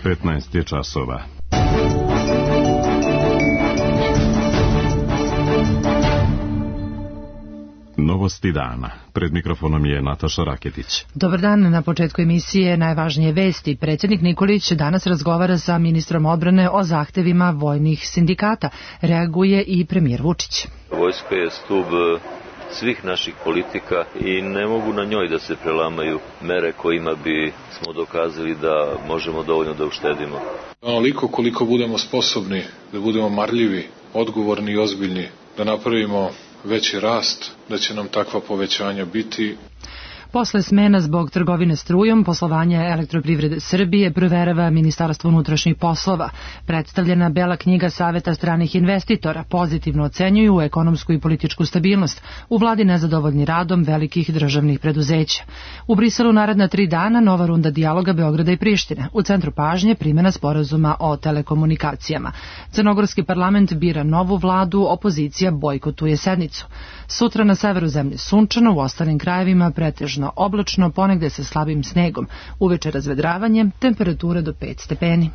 15 je časova. Novosti dana. Pred mikrofonom je Nataša Raketić. Dobar dan. Na početku emisije najvažnije vesti. Predsjednik Nikolić danas razgovara sa ministrom odbrane o zahtevima vojnih sindikata. Reaguje i premijer Vučić. Vojska je stub svih naših politika i ne mogu na njoj da se prelamaju mere kojima bi smo dokazali da možemo dovoljno da uštedimo. Onoliko koliko budemo sposobni da budemo marljivi, odgovorni i ozbiljni, da napravimo veći rast, da će nam takva povećanja biti. Posle smena zbog trgovine strujom, poslovanja Elektroprivrede Srbije proverava Ministarstvo unutrašnjih poslova. Predstavljena Bela knjiga Saveta stranih investitora pozitivno ocenjuju ekonomsku i političku stabilnost. U vladi nezadovoljni radom velikih državnih preduzeća. U Briselu naredna 3 dana nova runda dijaloga Beograda i Prištine. U centru pažnje primjena sporazuma o telekomunikacijama. Crnogorski parlament bira novu vladu, opozicija bojkotuje sednicu. Sutra na severu zemlje sunčano, u ostalim krajevima pretežno oblačno, ponegde sa slabim snegom. Uveče razvedravanje, temperatura do 5 stepeni.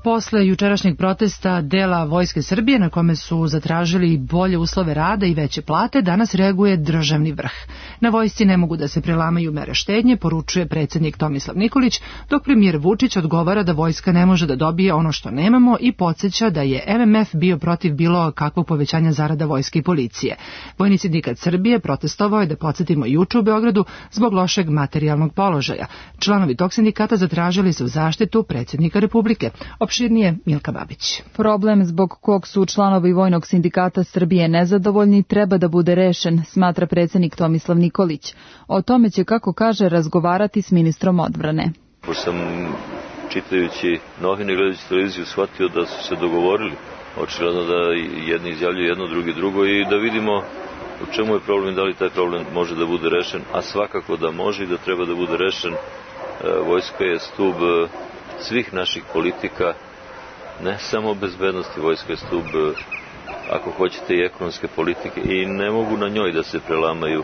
Posle jučerašnjeg protesta dela Vojske Srbije, na kome su zatražili bolje uslove rada i veće plate, danas reaguje državni vrh. Na vojsci ne mogu da se prelamaju mere štednje, poručuje predsjednik Tomislav Nikolić, dok premijer Vučić odgovara da vojska ne može da dobije ono što nemamo i podsjeća da je MMF bio protiv bilo kakvog povećanja zarada vojske i policije. Vojni sindikat Srbije protestovao je, da podsjetimo, juče u Beogradu zbog lošeg materijalnog položaja. Članovi tog sindikata zatražili su zaštitu predsjednika Republike. Opširnije Milka Babić. Problem zbog kog su članovi Vojnog sindikata Srbije nezadovoljni treba da bude rešen, smatra predsjednik Tomislav Nikolić. O tome će, kako kaže, razgovarati s ministrom odbrane. Pošto sam, čitajući novine i gledajući televiziju, shvatio da su se dogovorili. Očigledno da jedni izjavljuju jedno, drugi drugo, i da vidimo u čemu je problem i da li taj problem može da bude rešen, a svakako da može i da treba da bude rešen. Vojska je stub svih naših politika, ne samo bezbednosti. Vojska je stub, ako hoćete, i ekonomske politike i ne mogu na njoj da se prelamaju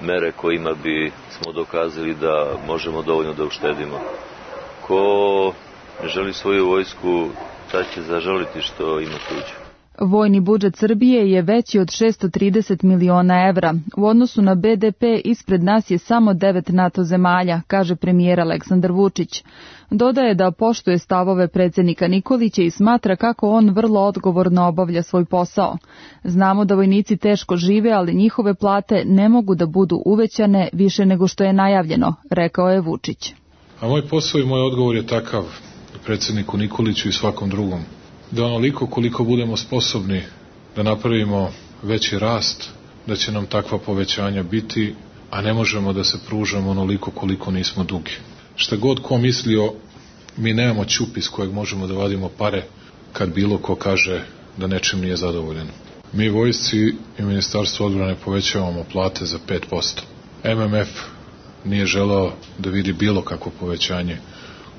mere kojima bi smo dokazali da možemo dovoljno da uštedimo. Ko ne želi svoju vojsku, taj će zažaliti što ima tuđu. Vojni budžet Srbije je veći od 630 miliona evra. U odnosu na BDP ispred nas je samo 9 NATO zemalja, kaže premijer Aleksandar Vučić. Dodaje da poštuje stavove predsjednika Nikolića i smatra kako on vrlo odgovorno obavlja svoj posao. Znamo da vojnici teško žive, ali njihove plate ne mogu da budu uvećane više nego što je najavljeno, rekao je Vučić. A moj posao i moj odgovor je takav predsjedniku Nikoliću i svakom drugom, da onoliko koliko budemo sposobni da napravimo veći rast, da će nam takva povećanja biti, a ne možemo da se pružamo onoliko koliko nismo dugi. Šta god ko mislio, mi nemamo ćup iz kojeg možemo da vadimo pare kad bilo ko kaže da nečim nije zadovoljan. Mi vojsci i Ministarstvo odbrane povećavamo plate za 5%. MMF nije želeo da vidi bilo kakvo povećanje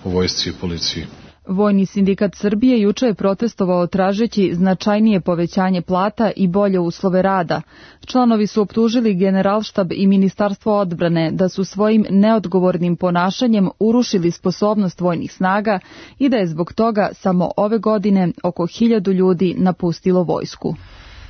u vojsci i policiji. Vojni sindikat Srbije juče je protestovao tražeći značajnije povećanje plata i bolje uslove rada. Članovi su optužili Generalštab i Ministarstvo odbrane da su svojim neodgovornim ponašanjem urušili sposobnost vojnih snaga i da je zbog toga samo ove godine oko 1000 ljudi napustilo vojsku.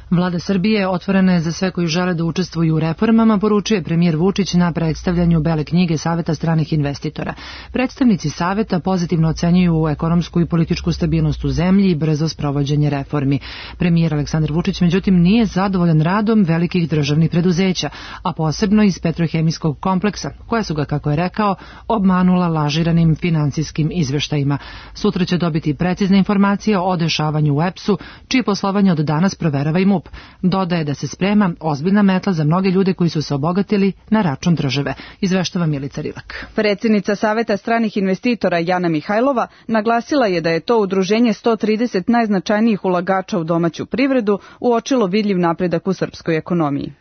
Vlada Srbije otvorena je za sve koji žele da učestvuju u reformama, poručuje premijer Vučić na predstavljanju Bele knjige Saveta stranih investitora. Predstavnici Saveta pozitivno ocenjuju ekonomsku i političku stabilnost u zemlji i brzo sprovođenje reformi. Premijer Aleksandar Vučić, međutim, nije zadovoljan radom velikih državnih preduzeća, a posebno iz petrohemijskog kompleksa, koja su ga, kako je rekao, obmanula lažiranim finansijskim izveštajima. Sutra će dobiti precizne informacije o dešavanju u EPS-u, čije poslovanje od danas proverava i MUP. Dodaje da se sprema ozbiljna metla za mnoge ljude koji su se obogatili na račun države. Izveštava Milica Rilak. Predsjednica Saveta stranih investitora Jana Mihajlova naglasila je da je to udruženje 130 najznačajnijih ulagača u domaću privredu uočilo vidljiv napredak u srpskoj ekonomiji.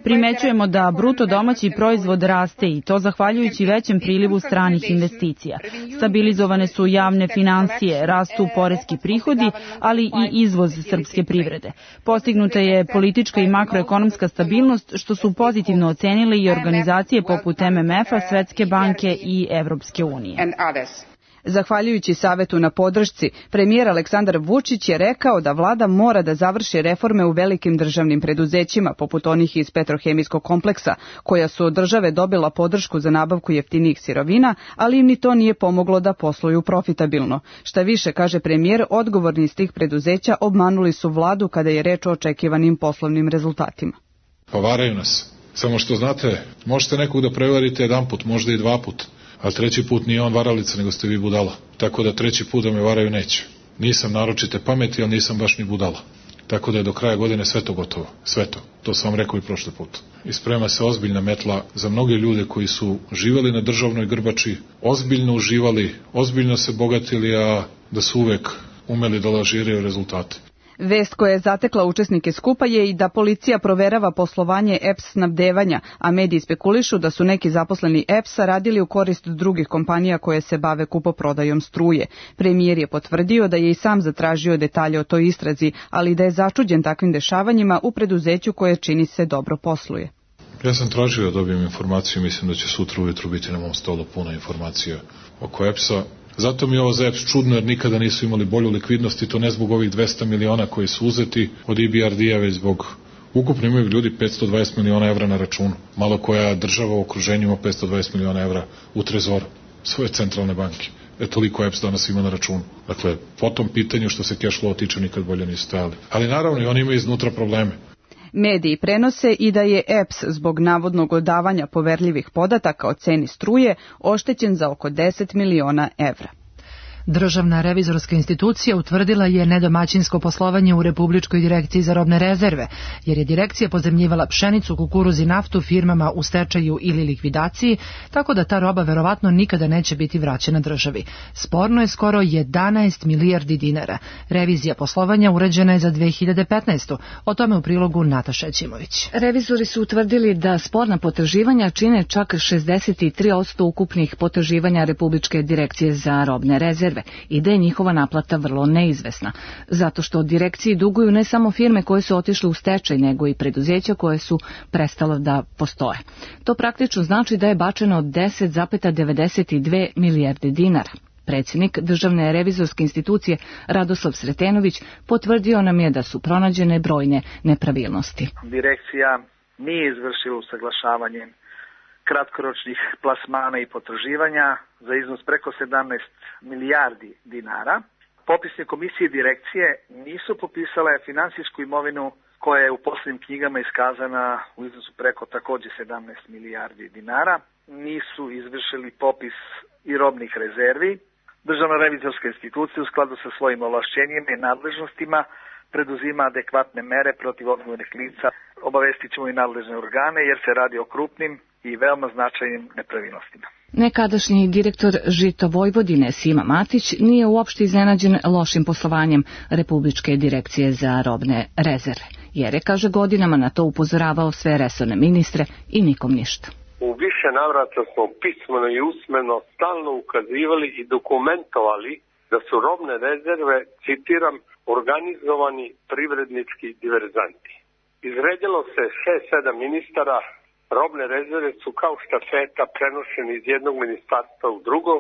Primećujemo da bruto domaći proizvod raste i to zahvaljujući većem prilivu stranih investicija. Stabilizovane su javne finansije, rastu poreski prihodi, ali i izvoz srpske privrede. Postignuta je politička i makroekonomska stabilnost, što su pozitivno ocenile i organizacije poput MMF-a, Svetske banke i Evropske unije. Zahvaljujući savetu na podršci, premijer Aleksandar Vučić je rekao da vlada mora da završi reforme u velikim državnim preduzećima, poput onih iz petrohemijskog kompleksa, koja su od države dobila podršku za nabavku jeftinijih sirovina, ali im ni to nije pomoglo da posluju profitabilno. Šta više, kaže premijer, odgovorni iz tih preduzeća obmanuli su vladu kada je reč o očekivanim poslovnim rezultatima. Pa varaju nas. Samo što znate, možete nekog da prevarite jedan put, možda i dva put. Ali treći put nije on varalica, nego ste vi budala. Tako da treći put da me varaju neće. Nisam naročite pameti, ali nisam baš ni budala. Tako da je do kraja godine sve to gotovo. Sve to. To sam vam rekao i prošli put. I sprema se ozbiljna metla za mnoge ljude koji su živjeli na državnoj grbači, ozbiljno uživali, ozbiljno se bogatili, a da su uvek umeli da lažiraju rezultate. Vest koja je zatekla učesnike skupa je i da policija proverava poslovanje EPS snabdevanja, a mediji spekulišu da su neki zaposleni EPS-a radili u korist drugih kompanija koje se bave kupoprodajom struje. Premijer je potvrdio da je i sam zatražio detalje o toj istrazi, ali da je začuđen takvim dešavanjima u preduzeću koje čini se dobro posluje. Ja sam tražio da dobijem informaciju, mislim da će sutra ujutru biti na mom stolu puno informacija oko EPS-a. Zato mi je ovo za EPS čudno, jer nikada nisu imali bolju likvidnost i to ne zbog ovih 200 miliona koji su uzeti od EBRD-a, već zbog ukupno imaju ljudi 520 miliona evra na računu. Malo koja država u okruženju ima 520 miliona evra u trezoru svoje centralne banke. Toliko EPS danas ima na računu. Dakle, po tom pitanju što se cash flow tiče nikad bolje nisu stajali. Ali naravno i oni imaju iznutra probleme. Mediji prenose i da je EPS zbog navodnog odavanja poverljivih podataka o ceni struje oštećen za oko 10 miliona evra. Državna revizorska institucija utvrdila je nedomaćinsko poslovanje u Republičkoj direkciji za robne rezerve, jer je direkcija pozemljivala pšenicu, kukuruz i naftu firmama u stečaju ili likvidaciji, tako da ta roba verovatno nikada neće biti vraćena državi. Sporno je skoro 11 milijardi dinara. Revizija poslovanja urađena je za 2015. O tome u prilogu Nataša Ćimović. Revizori su utvrdili da sporna potraživanja čine čak 63% ukupnih potraživanja Republičke direkcije za robne rezerve i da je njihova naplata vrlo neizvesna, zato što direkciji duguju ne samo firme koje su otišle u stečaj, nego i preduzeća koje su prestala da postoje. To praktično znači da je bačeno 10,92 milijarde dinara. Predsjednik Državne revizorske institucije Radoslav Sretenović potvrdio nam je da su pronađene brojne nepravilnosti. Direkcija nije izvršila usaglašavanje kratkoročnih plasmana i potraživanja za iznos preko 17 milijardi dinara. Popisne komisije direkcije nisu popisale finansijsku imovinu koja je u poslovnim knjigama iskazana u iznosu preko također 17 milijardi dinara. Nisu izvršili popis i robnih rezervi. Državna revizorska institucija u skladu sa svojim ovlašćenjima i nadležnostima preduzima adekvatne mere protiv odgovornih lica. Obavestit ćemo i nadležne organe jer se radi o krupnim i veoma značajnim nepravilnostima. Nekadašnji direktor Žito Vojvodine Sima Matić nije uopšte iznenađen lošim poslovanjem Republičke direkcije za robne rezerve, jer je, kaže, godinama na to upozoravao sve resorne ministre i nikom ništa. U više navrata smo pismeno i usmeno stalno ukazivali i dokumentovali da su robne rezerve, citiram, organizovani privrednički diverzanti. Izredilo se 6-7 ministara, robne rezerve su kao štafeta prenošene iz jednog ministarstva u drugo,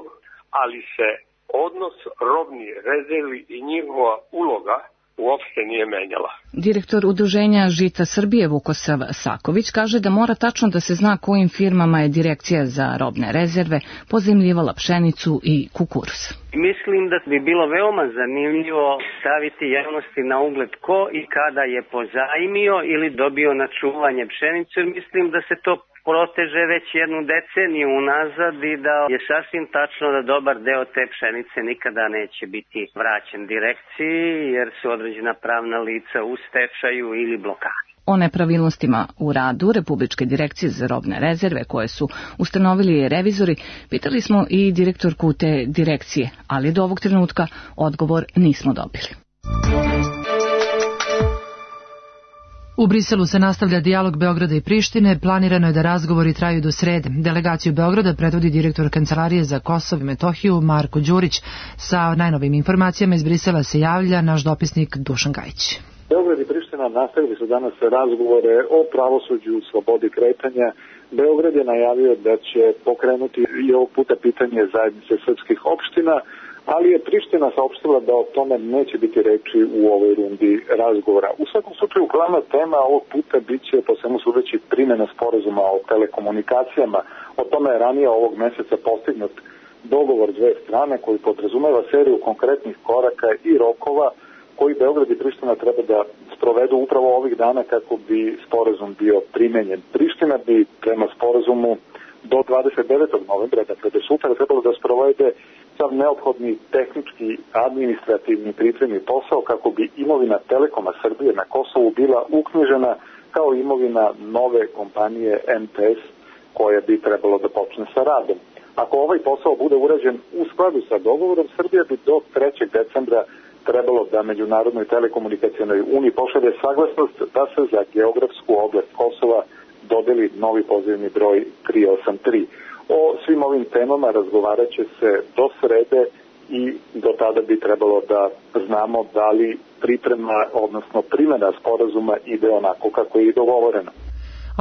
ali se odnos robnih rezervi i njihova uloga uopšte nije menjala. Direktor udruženja Žita Srbije Vukosav Saković kaže da mora tačno da se zna kojim firmama je direkcija za robne rezerve pozemljivala pšenicu i kukuruz. Mislim da bi bilo veoma zanimljivo staviti javnosti na ugled ko i kada je pozajmio ili dobio na čuvanje pšenicu. Mislim da se to proteže već jednu deceniju unazad i da je sasvim tačno da dobar deo te pšenice nikada neće biti vraćen direkciji jer su određena pravna lica u stečaju ili blokadi. O nepravilnostima u radu Republičke direkcije za robne rezerve koje su ustanovili revizori pitali smo i direktorku te direkcije, ali do ovog trenutka odgovor nismo dobili. U Briselu se nastavlja dijalog Beograda i Prištine, planirano je da razgovori traju do srede. Delegaciju Beograda predvodi direktor Kancelarije za Kosovo i Metohiju Marko Đurić. Sa najnovim informacijama iz Brisela se javlja naš dopisnik Dušan Gajić. Beograd i Priština nastavili su danas razgovore o pravosuđu, slobodi kretanja. Beograd je najavio da će pokrenuti i ovog puta pitanje zajednice srpskih opština, ali je Priština saopštila da o tome neće biti reči u ovoj rundi razgovora. U svakom slučaju, glavna tema ovog puta biće, po svemu sudeći, primjena sporazuma o telekomunikacijama. O tome je ranije ovog meseca postignut dogovor dve strane koji podrazumeva seriju konkretnih koraka i rokova koji Beograd i Priština treba da sprovedu upravo ovih dana kako bi sporazum bio primenjen. Priština bi prema sporazumu do 29. novembra, dakle do sutra, trebalo da sprovede sav neophodni tehnički, administrativni pripremni posao kako bi imovina Telekoma Srbije na Kosovu bila uknjižena kao imovina nove kompanije MTS koja bi trebalo da počne sa radom. Ako ovaj posao bude urađen u skladu sa dogovorom, Srbija bi do 3. decembra trebalo da Međunarodnoj telekomunikacionoj uniji pošalje saglasnost da se za geografsku oblast Kosova dodeli novi pozivni broj 383. O svim ovim temama razgovarat će se do srede i do tada bi trebalo da znamo da li priprema, odnosno primjena sporazuma ide onako kako je i dogovoreno.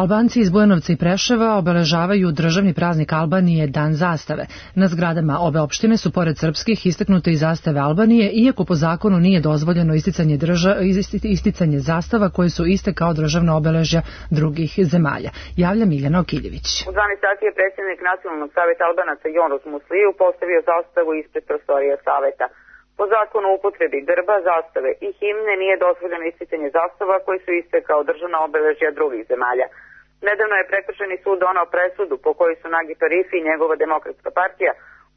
Albanci iz Bujanovca i Preševa obeležavaju državni praznik Albanije Dan zastave. Na zgradama obe opštine su pored srpskih istaknute i zastave Albanije, iako po zakonu nije dozvoljeno isticanje zastava koje su iste kao državna obeležja drugih zemalja. Javlja Miljana Okiljević. U 12 sati je predsjednik Nacionalnog saveta Albanaca Jonos Musliju postavio zastavu ispred prostorija saveta. Po zakonu o upotrebi grba, zastave i himne nije dozvoljeno isticanje zastava koji su iste kao državna obeležja drugih zemalja. Nedavno je prekršajni sud donao presudu po kojoj su Nagip Arifi i njegova Demokratska partija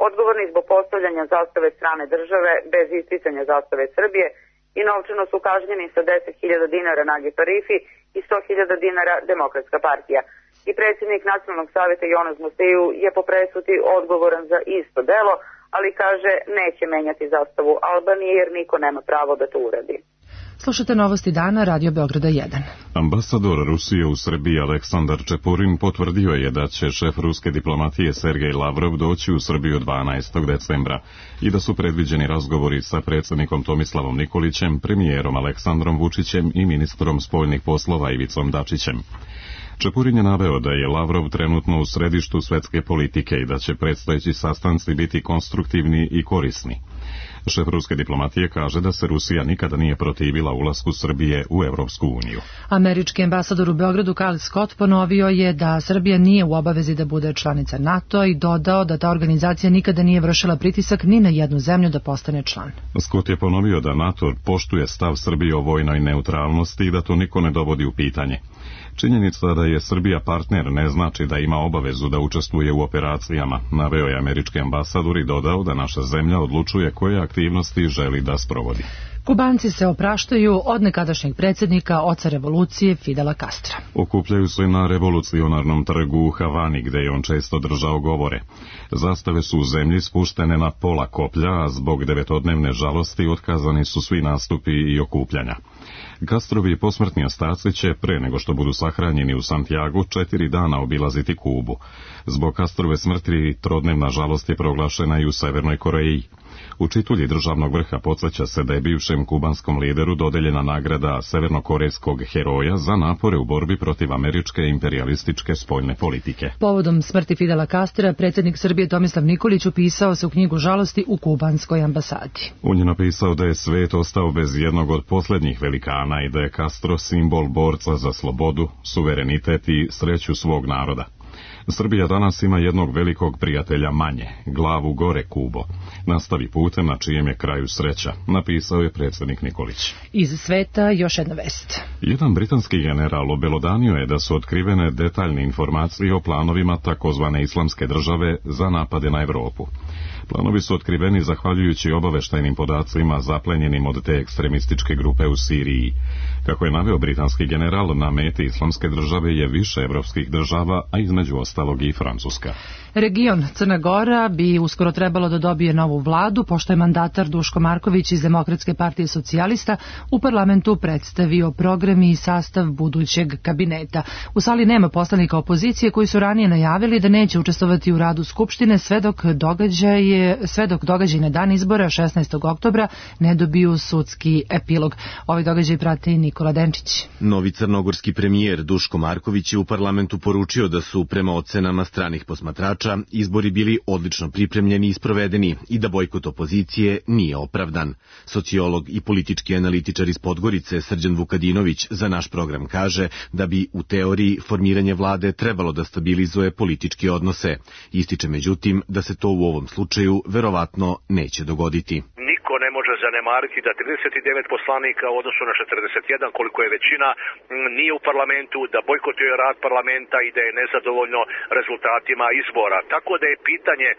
odgovorni zbog postavljanja zastave strane države bez isticanja zastave Srbije i novčano su kažnjeni sa 10.000 dinara Nagip Arifi i 100.000 dinara Demokratska partija. I predsjednik Nacionalnog saveta Jonas Musliju je po presudi odgovoran za isto delo, ali kaže neće menjati zastavu Albanije jer niko nema pravo da to uradi. Slušate novosti dana, Radio Beograda 1. Ambasador Rusije u Srbiji Aleksandar Čepurin potvrdio je da će šef ruske diplomatije Sergej Lavrov doći u Srbiju 12. decembra i da su predviđeni razgovori sa predsjednikom Tomislavom Nikolićem, premijerom Aleksandrom Vučićem i ministrom spoljnih poslova Ivicom Dačićem. Čepurin je naveo da je Lavrov trenutno u središtu svetske politike i da će predstojeći sastanci biti konstruktivni i korisni. Šef ruske diplomatije kaže da se Rusija nikada nije protivila ulasku Srbije u Evropsku uniju. Američki ambasador u Beogradu Kyle Scott ponovio je da Srbija nije u obavezi da bude članica NATO i dodao da ta organizacija nikada nije vršila pritisak ni na jednu zemlju da postane član. Scott je ponovio da NATO poštuje stav Srbije o vojnoj neutralnosti i da to niko ne dovodi u pitanje. Činjenica da je Srbija partner ne znači da ima obavezu da učestvuje u operacijama, naveo je američki ambasador i dodao da naša zemlja odlučuje koje aktivnosti želi da sprovodi. Kubanci se opraštaju od nekadašnjeg predsjednika, oca revolucije Fidela Castra. Okupljaju se na revolucionarnom trgu u Havani, gde je on često držao govore. Zastave su u zemlji spuštene na pola koplja, a zbog 9-dnevne žalosti otkazani su svi nastupi i okupljanja. Castrovi posmrtni ostaci će, pre nego što budu sahranjeni u Santiagu, 4 dana obilaziti Kubu. Zbog Castrove smrti 3-dnevna žalost je proglašena i u Severnoj Koreji. U čitulji državnog vrha podsjeća se da je bivšem kubanskom lideru dodeljena nagrada severnokorejskog heroja za napore u borbi protiv američke imperialističke spoljne politike. Povodom smrti Fidela Castra, predsjednik Srbije Tomislav Nikolić upisao se u knjigu žalosti u kubanskoj ambasadi. On je napisao da je svet ostao bez jednog od posljednjih velikana i da je Castro simbol borca za slobodu, suverenitet i sreću svog naroda. Srbija danas ima jednog velikog prijatelja manje, glavu gore Kubo. Nastavi putem na čijem je kraju sreća, napisao je predsjednik Nikolić. Iz sveta još jedna vest. Jedan britanski general obelodanio je da su otkrivene detaljne informacije o planovima takozvane islamske države za napade na Evropu. Planovi su otkriveni zahvaljujući obaveštajnim podacima zaplenjenim od te ekstremističke grupe u Siriji. Kako je naveo britanski general, na meti Islamske države je više evropskih država, a između ostalog i Francuska. Region Crna Gora bi uskoro trebalo da dobije novu vladu, pošto je mandatar Duško Marković iz Demokratske partije socijalista u parlamentu predstavio program i sastav budućeg kabineta. U sali nema poslanika opozicije koji su ranije najavili da neće učestvovati u radu Skupštine sve dok događaj na dan izbora 16. oktobra ne dobiju sudski epilog. Ovaj događaj prati Nikola Denčić. Novi crnogorski premijer Duško Marković je u parlamentu poručio da su prema ocenama stranih posmatrača izbori bili odlično pripremljeni i sprovedeni i da bojkot opozicije nije opravdan. Sociolog i politički analitičar iz Podgorice Srđan Vukadinović za naš program kaže da bi u teoriji formiranje vlade trebalo da stabilizuje političke odnose. Ističe međutim da se to u ovom slučaju verovatno neće dogoditi. Ne može zanemariti da 39 poslanika u odnosu na 41 koliko je većina nije u parlamentu, da bojkotuje rad parlamenta i da je nezadovoljno rezultatima izbora. Tako da je pitanje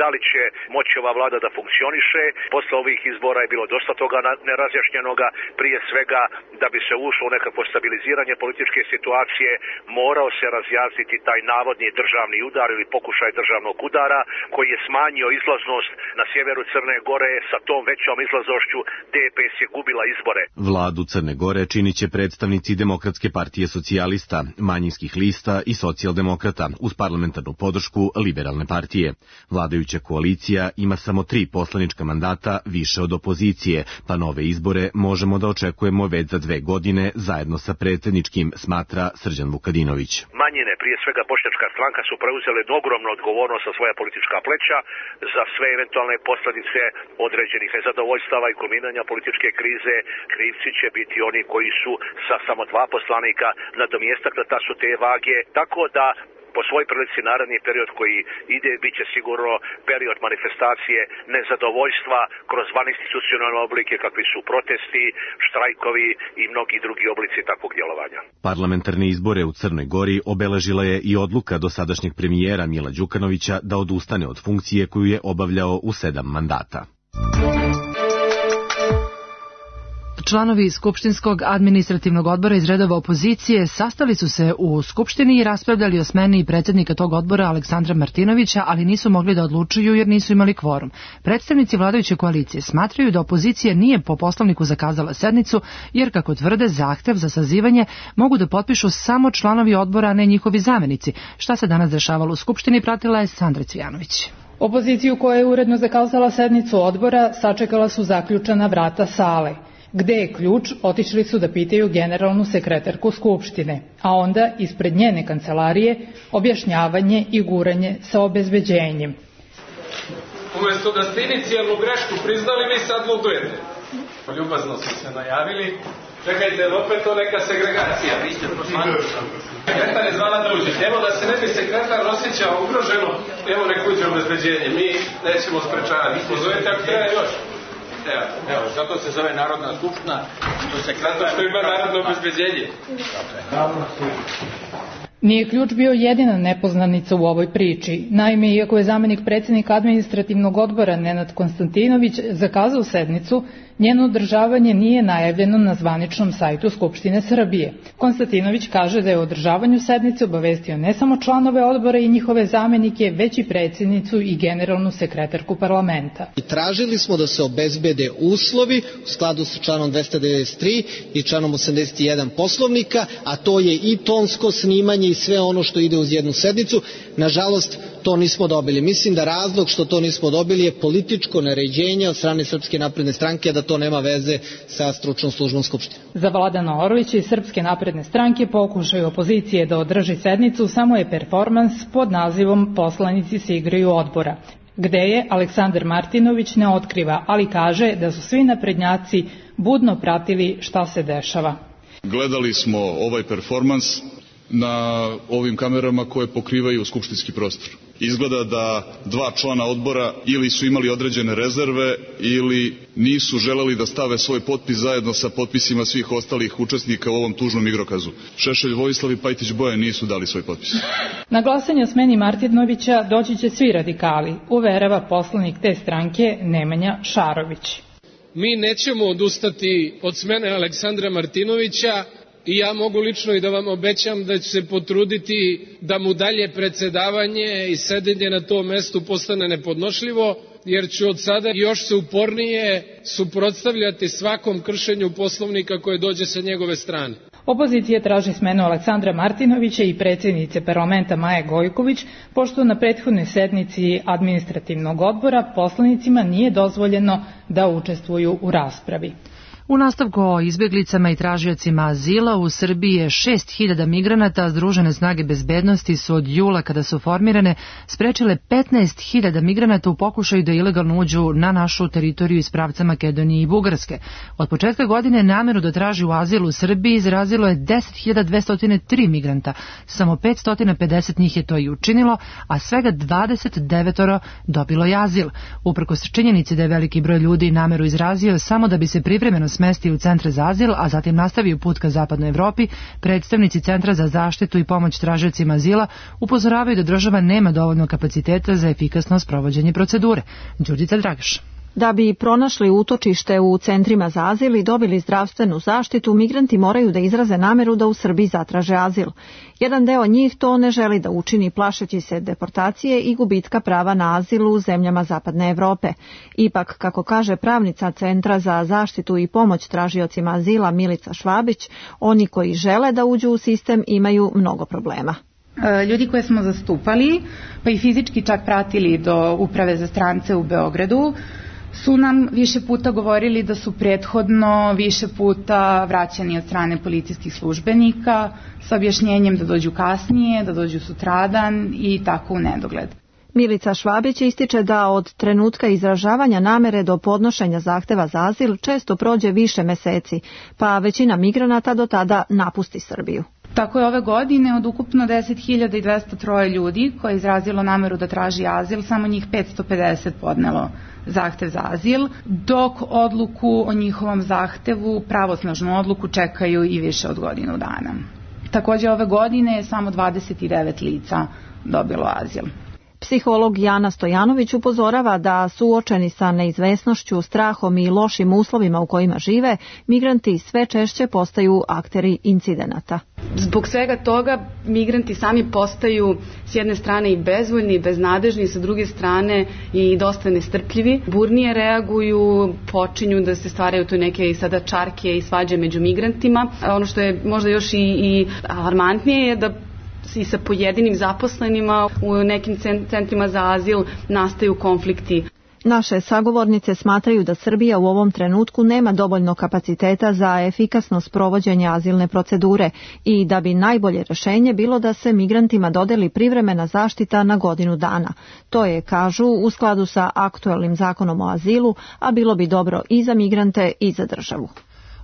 da li će moći ova vlada da funkcioniše. Posle ovih izbora je bilo dosta toga nerazjašnjenoga. Prije svega da bi se ušlo u nekakvo stabiliziranje političke situacije morao se razjasniti taj navodni državni udar ili pokušaj državnog udara koji je smanjio izlaznost na sjeveru Crne Gore. Sa tom većom izlaznošću DPS je gubila izbore. Vladu Crne Gore činit će predstavnici Demokratske partije socijalista, manjinskih lista i socijaldemokrata uz parlamentarnu podršku Liberalne partije. Vladajuća koalicija ima samo 3 poslanička mandata više od opozicije, pa nove izbore možemo da očekujemo već za 2 godine zajedno sa predsjedničkim, smatra Srđan Vukadinović. Manjine, prije svega Bošnjačka stranka, su preuzele ogromnu odgovornost sa svoja politička pleća za sve eventualne posljedice određenih nezadovoljstava i kulminanja političke krize. Krivci će biti oni koji su sa samo 2 poslanika nadomjestak da su te vage, tako da po svoj prilici naredni period koji ide bit će sigurno period manifestacije nezadovoljstva kroz vaninstitucionalne oblike kakvi su protesti, štrajkovi i mnogi drugi oblici takvog djelovanja. Parlamentarne izbore u Crnoj Gori obeležila je i odluka dosadašnjeg premijera Mila Đukanovića da odustane od funkcije koju je obavljao u 7 mandata. Članovi Skupštinskog administrativnog odbora iz redova opozicije sastali su se u Skupštini i raspravljali o smeni predsjednika tog odbora Aleksandra Martinovića, ali nisu mogli da odlučuju jer nisu imali kvorum. Predstavnici vladajuće koalicije smatraju da opozicija nije po poslovniku zakazala sednicu, jer kako tvrde zahtev za sazivanje mogu da potpišu samo članovi odbora, a ne njihovi zamenici. Šta se danas dešavalo u Skupštini pratila je Sandra Cvijanović. Opoziciju koja je uredno zakazala sednicu odbora sačekala su zaključana vrata sale. Gde je ključ, otišli su da pitaju generalnu sekretarku Skupštine, a onda ispred njene kancelarije objašnjavanje i guranje sa obezbeđenjem. Umjesto da ste inicijalnu grešku priznali, vi sad ludujete. Ljubazno su se najavili. Čekajte, opet to neka segregacija. Vi ste poslanici. Sekretar je zvala da uđe. Evo da se ne bi sekretar osjećao ugroženo, evo nek uđe obezbeđenje. Mi nećemo sprečavati. Pozovete ako treba još. Evo, zato se zove Narodna skupština, zato što ima narodno obezbeđenje. Nije ključ bio jedina nepoznanica u ovoj priči. Naime, iako je zamenik predsjednika administrativnog odbora Nenad Konstantinović zakazao sednicu, njeno održavanje nije najavljeno na zvaničnom sajtu Skupštine Srbije. Konstantinović kaže da je o održavanju sednice obavestio ne samo članove odbora i njihove zamenike, već i predsjednicu i generalnu sekretarku parlamenta. Tražili smo da se obezbede uslovi u skladu sa članom 293 i članom 81 Poslovnika, a to je i tonsko snimanje i sve ono što ide uz jednu sednicu. Nažalost, to nismo dobili. Mislim da razlog što to nismo dobili je političko naređenje od strane Srpske napredne stranke, da to nema veze sa stručnom službom Skupštine. Za Vladana Orlića i Srpske napredne stranke pokušaj opozicije da održi sednicu samo je performans pod nazivom Poslanici se igraju odbora, gde je Aleksandar Martinović ne otkriva, ali kaže da su svi naprednjaci budno pratili šta se dešava. Gledali smo ovaj performans na ovim kamerama koje pokrivaju skupštinski prostor. Izgleda da 2 člana odbora ili su imali određene rezerve ili nisu želeli da stave svoj potpis zajedno sa potpisima svih ostalih učesnika u ovom tužnom igrokazu. Šešelj Vojislav i Pajtić Bojan nisu dali svoj potpis. Na glasanje o smeni Martinovića doći će svi radikali, uverava poslanik te stranke Nemanja Šarović. Mi nećemo odustati od smene Aleksandra Martinovića i ja mogu lično i da vam obećam da ću se potruditi da mu dalje predsedavanje i sedenje na tom mestu postane nepodnošljivo, jer ću od sada još se upornije suprotstavljati svakom kršenju Poslovnika koje dođe sa njegove strane. Opozicija traži smenu Aleksandra Martinovića i predsjednice parlamenta Maje Gojković, pošto na prethodnoj sednici administrativnog odbora poslanicima nije dozvoljeno da učestvuju u raspravi. U nastavku o izbjeglicama i tražiocima azila u Srbiji je 6.000 migranata. Združene snage bezbednosti su od jula, kada su formirane, sprečile 15.000 migranata u pokušaju da ilegalno uđu na našu teritoriju iz pravca Makedonije i Bugarske. Od početka godine nameru da traži u azil u Srbiji izrazilo je 10.203 migranta. Samo 550 njih je to i učinilo, a svega 29 dobilo je azil. Uprkos činjenici da je veliki broj ljudi nameru izrazio samo da bi se privremeno smestio u centre za azil, a zatim nastavio put ka zapadnoj Evropi, predstavnici Centra za zaštitu i pomoć tražiocima azila upozoravaju da država nema dovoljno kapaciteta za efikasno sprovođenje procedure. Đurđica Dragaš. Da bi pronašli utočište u centrima za azil i dobili zdravstvenu zaštitu, migranti moraju da izraze nameru da u Srbiji zatraže azil. Jedan deo njih to ne želi da učini, plašeći se deportacije i gubitka prava na azil u zemljama zapadne Evrope. Ipak, kako kaže pravnica Centra za zaštitu i pomoć tražiocima azila Milica Švabić, oni koji žele da uđu u sistem imaju mnogo problema. Ljudi koje smo zastupali, pa i fizički čak pratili do Uprave za strance u Beogradu, su nam više puta govorili da su prethodno više puta vraćani od strane policijskih službenika sa objašnjenjem da dođu kasnije, da dođu sutradan i tako u nedogled. Milica Švabić ističe da od trenutka izražavanja namere do podnošenja zahteva za azil često prođe više meseci, pa većina migranata do tada napusti Srbiju. Tako je ove godine od ukupno 10.203 ljudi koje je izrazilo nameru da traži azil, samo njih 550 podnelo zahtev za azil, dok odluku o njihovom zahtevu, pravosnažnu odluku, čekaju i više od godinu dana. Također ove godine je samo 29 lica dobilo azil. Psiholog Jana Stojanović upozorava da suočeni sa neizvesnošću, strahom i lošim uslovima u kojima žive, migranti sve češće postaju akteri incidenata. Zbog svega toga migranti sami postaju s jedne strane i bezvoljni i beznadežni, sa druge strane i dosta nestrpljivi. Burnije reaguju, počinju da se stvaraju tu neke sada čarke i svađe među migrantima. Ono što je možda još i alarmantnije je da i sa pojedinim zaposlenima u nekim centrima za azil nastaju konflikti. Naše sagovornice smatraju da Srbija u ovom trenutku nema dovoljno kapaciteta za efikasno sprovođenje azilne procedure i da bi najbolje rješenje bilo da se migrantima dodeli privremena zaštita na godinu dana. To je, kažu, u skladu sa aktuelnim zakonom o azilu, a bilo bi dobro i za migrante i za državu.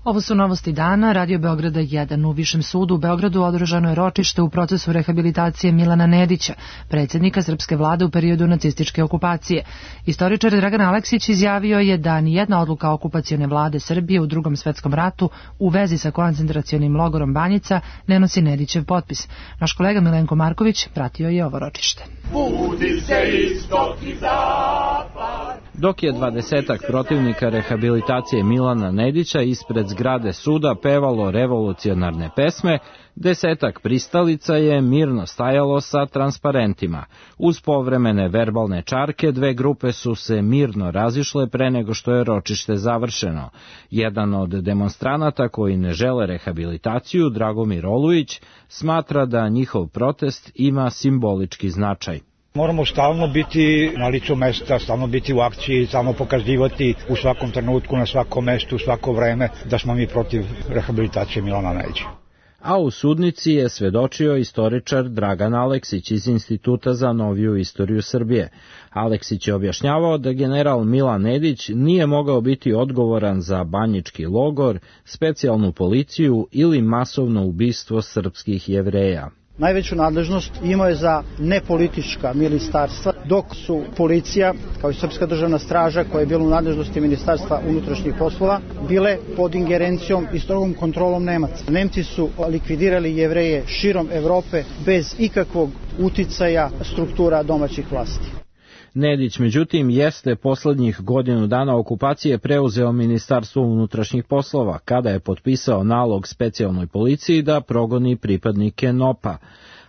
Ovo su novosti dana. Radio Beograda 1. U Višem sudu u Beogradu održano je ročište u procesu rehabilitacije Milana Nedića, predsjednika srpske vlade u periodu nacističke okupacije. Istoričar Dragan Aleksić izjavio je da nijedna odluka okupacione vlade Srbije u Drugom svetskom ratu u vezi sa koncentracionim logorom Banjica ne nosi Nedićev potpis. Naš kolega Milenko Marković pratio je ovo ročište. Budi se istok i zapad. Dok je 20-ak protivnika rehabilitacije Milana Nedića ispred zgrade suda pevalo revolucionarne pesme, 10-ak pristalica je mirno stajalo sa transparentima. Uz povremene verbalne čarke, dve grupe su se mirno razišle pre nego što je ročište završeno. Jedan od demonstranata koji ne žele rehabilitaciju, Dragomir Olujić, smatra da njihov protest ima simbolički značaj. Moramo stalno biti na licu mesta, stalno biti u akciji, stalno pokazivati u svakom trenutku, na svakom mestu, u svako vreme da smo mi protiv rehabilitacije Milana Nedića. a u sudnici je svedočio istoričar Dragan Aleksić iz Instituta za noviju istoriju Srbije. Aleksić je objašnjavao da general Milan Nedić nije mogao biti odgovoran za banjički logor, specijalnu policiju ili masovno ubistvo srpskih Jevreja. Najveću nadležnost imao je za nepolitička ministarstva, dok su policija, kao i Srpska državna straža, koja je bila u nadležnosti Ministarstva unutrašnjih poslova, bile pod ingerencijom i strogom kontrolom Nemaca. Nemci su likvidirali Jevreje širom Evrope bez ikakvog uticaja struktura domaćih vlasti. Nedić, međutim, jeste poslednjih godinu dana okupacije preuzeo Ministarstvo unutrašnjih poslova, kada je potpisao nalog specijalnoj policiji da progoni pripadnike NOP-a.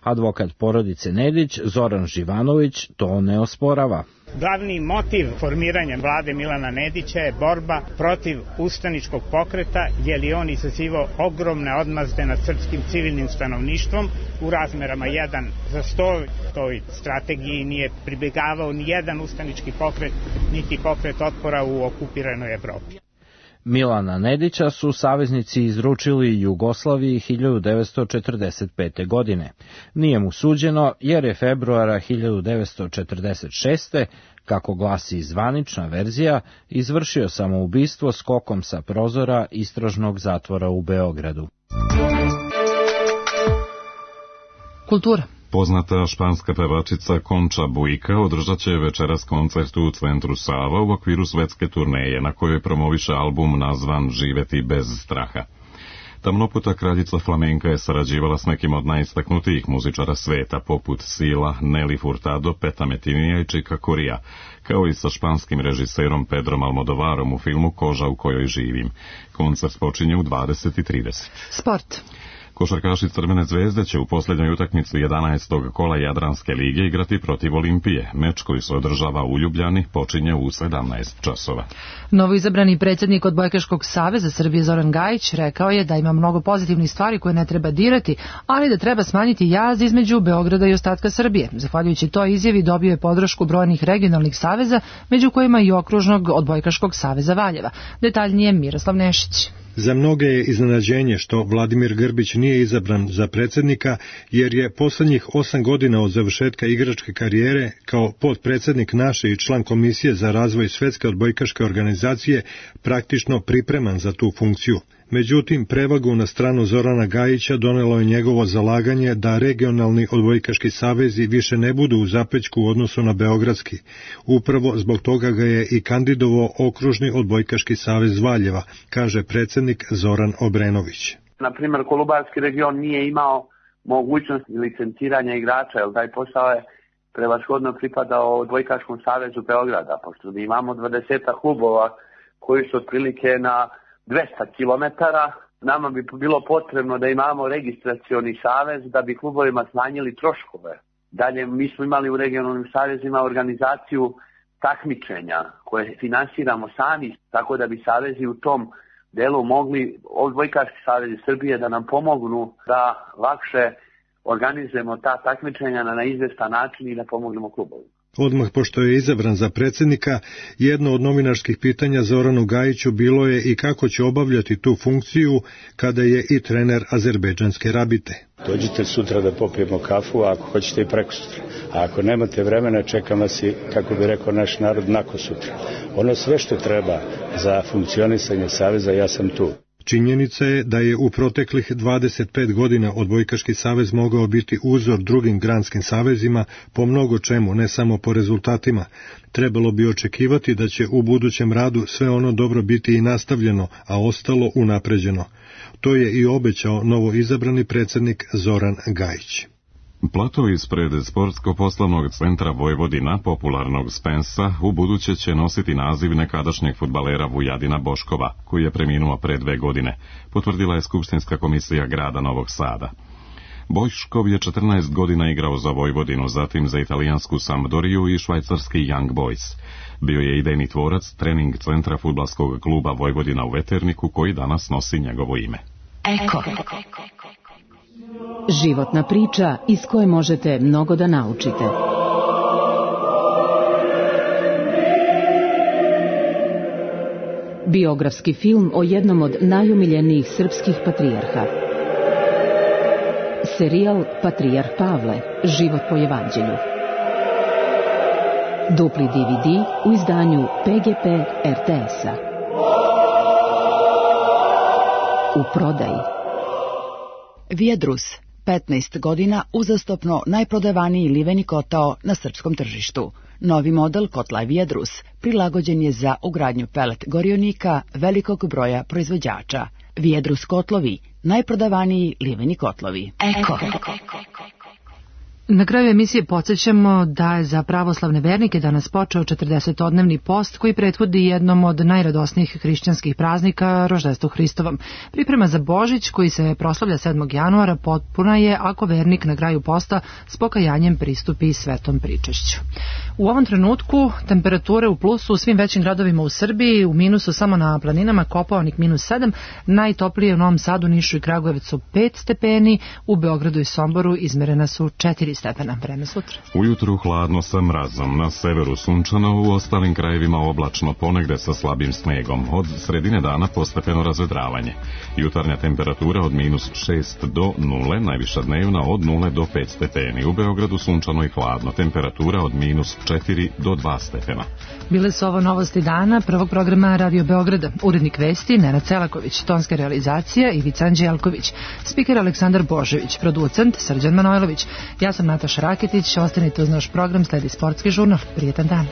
Advokat porodice Nedić, Zoran Živanović, to ne osporava. Glavni motiv formiranja vlade Milana Nedića je borba protiv ustaničkog pokreta, jer je on izazivao ogromne odmazde nad srpskim civilnim stanovništvom u razmerama 1:100. Toj strategiji nije pribjegavao ni jedan ustanički pokret, niti pokret otpora u okupiranoj Evropi. Milana Nedića su saveznici izručili Jugoslaviji 1945. godine. Nije mu suđeno jer je februara 1946. kako glasi zvanična verzija, izvršio samoubistvo skokom sa prozora istražnog zatvora u Beogradu. Kultura. Poznata španska pevačica Concha Buika održat će večeras koncert u centru Sava u okviru svetske turneje na kojoj promoviše album nazvan Živeti bez straha. Tamnoputa kraljica flamenka je sarađivala s nekim od najistaknutijih muzičara sveta, poput Sila, Nelly Furtado, Peta Metinija i Chica Corea, kao i sa španskim režiserom Pedrom Almodovarom u filmu Koža u kojoj živim. Koncert počinje u 20:30. Sport. Košarkaši Crvene zvezde će u posljednjoj utakmici 11. kola Jadranske lige igrati protiv Olimpije. Meč koji se održava u Ljubljani počinje u 17 časova. Novoizabrani predsjednik Odbojkaškog saveza Srbije Zoran Gajić rekao je da ima mnogo pozitivnih stvari koje ne treba dirati, ali da treba smanjiti jaz između Beograda i ostatka Srbije. Zahvaljujući toj izjavi dobio je podršku brojnih regionalnih saveza, među kojima i okružnog Odbojkaškog saveza Valjeva. Detaljnije Miroslav Nešić. Za mnoge je iznenađenje što Vladimir Grbić nije izabran za predsjednika, jer je poslednjih 8 godina od završetka igračke karijere kao potpredsjednik naše i član Komisije za razvoj Svetske odbojkaške organizacije praktično pripreman za tu funkciju. Međutim, prevagu na stranu Zorana Gajića donelo je njegovo zalaganje da regionalni odbojkaški savezi više ne budu u zapećku u odnosu na beogradski. Upravo zbog toga ga je i kandidovao okružni odbojkaški savez Valjeva, kaže predsjednik Zoran Obrenović. Na primjer, Kolubarski region nije imao mogućnost licenciranja igrača, jer taj posao je prevashodno pripadao odbojkaškom savezu Beograda, pošto mi imamo 20 klubova koji su otprilike na 200 kilometara. Nama bi bilo potrebno da imamo registracioni savez da bi klubovima smanjili troškove. Dalje, mi smo imali u regionalnim savezima organizaciju takmičenja koje finansiramo sami, tako da bi savezi u tom delu mogli, odbojkaški savezi Srbije, da nam pomognu da lakše organizujemo ta takmičenja na izvestan način i da pomognemo klubovima. Odmah pošto je izabran za predsjednika, jedno od novinarskih pitanja Zoranu Gajiću bilo je i kako će obavljati tu funkciju kada je i trener azerbejdžanske Rabite. Dođite sutra da popijemo kafu, a ako hoćete i preko sutra. A ako nemate vremena, čekam vas i, kako bi rekao naš narod, nakon sutra. Ono sve što treba za funkcionisanje saveza, ja sam tu. Činjenica je da je u proteklih 25 godina odbojkaški savez mogao biti uzor drugim granskim savezima po mnogo čemu, ne samo po rezultatima. Trebalo bi očekivati da će u budućem radu sve ono dobro biti i nastavljeno, a ostalo unapređeno. To je i obećao novo izabrani predsjednik Zoran Gajić. Plato ispred Sportsko-poslovnog centra Vojvodina, popularnog Spensa, u buduće će nositi naziv nekadašnjeg fudbalera Vujadina Boškova, koji je preminuo pre 2 godine, potvrdila je Skupštinska komisija grada Novog Sada. Boškov je 14 godina igrao za Vojvodinu, zatim za italijansku Sampdoriju i švajcarski Young Boys. Bio je idejni tvorac trening centra fudbalskog kluba Vojvodina u Veterniku, koji danas nosi njegovo ime. Eko. Životna priča iz koje možete mnogo da naučite. Biografski film o jednom od najomiljenijih srpskih patrijarha. Serijal Patrijarh Pavle, život po evanđelju. Dupli DVD u izdanju PGP RTS-a. U prodaji. Viadrus, 15 godina uzastopno najprodavaniji liveni kotao na srpskom tržištu. Novi model kotla Viadrus prilagođen je za ugradnju pelet gorionika velikog broja proizvođača. Viadrus kotlovi, najprodavaniji liveni kotlovi. Eko. Na kraju emisije podsjećamo da je za pravoslavne vernike danas počeo 40-odnevni post koji prethodi jednom od najradosnijih hrišćanskih praznika, roždestvu Hristovom. Priprema za Božić, koji se proslavlja 7. januara, potpuna je ako vernik na kraju posta s pokajanjem pristupi svetom pričešću. U ovom trenutku temperature u plusu u svim većim gradovima u Srbiji, u minusu samo na planinama Kopaonik -7, najtoplije u Novom Sadu, Nišu i Kragujevcu 5 stepeni, u Beogradu i Somboru izmerena su 4 stepena. Vreme sutra. Ujutru hladno sa mrazom, na severu sunčano, u ostalim krajevima oblačno, ponegde sa slabim snegom. Od sredine dana postepeno razvedravanje. Jutarnja temperatura od -6 do 0, najviša dnevna od 0 do 5 stepeni. U Beogradu sunčano i hladno, temperatura od -4 do 2 stepena. Bile su ovo novosti dana prvog programa Radio Beograda. Urednik vesti Nenad Celaković, tonska realizacija Ivica Anđelković, spiker Aleksandar Božević, producent Srđan Manojlović. Ja sam Nataša Raketić, ostanite uz naš program, sledi sportski žurnal. Prijetan dan.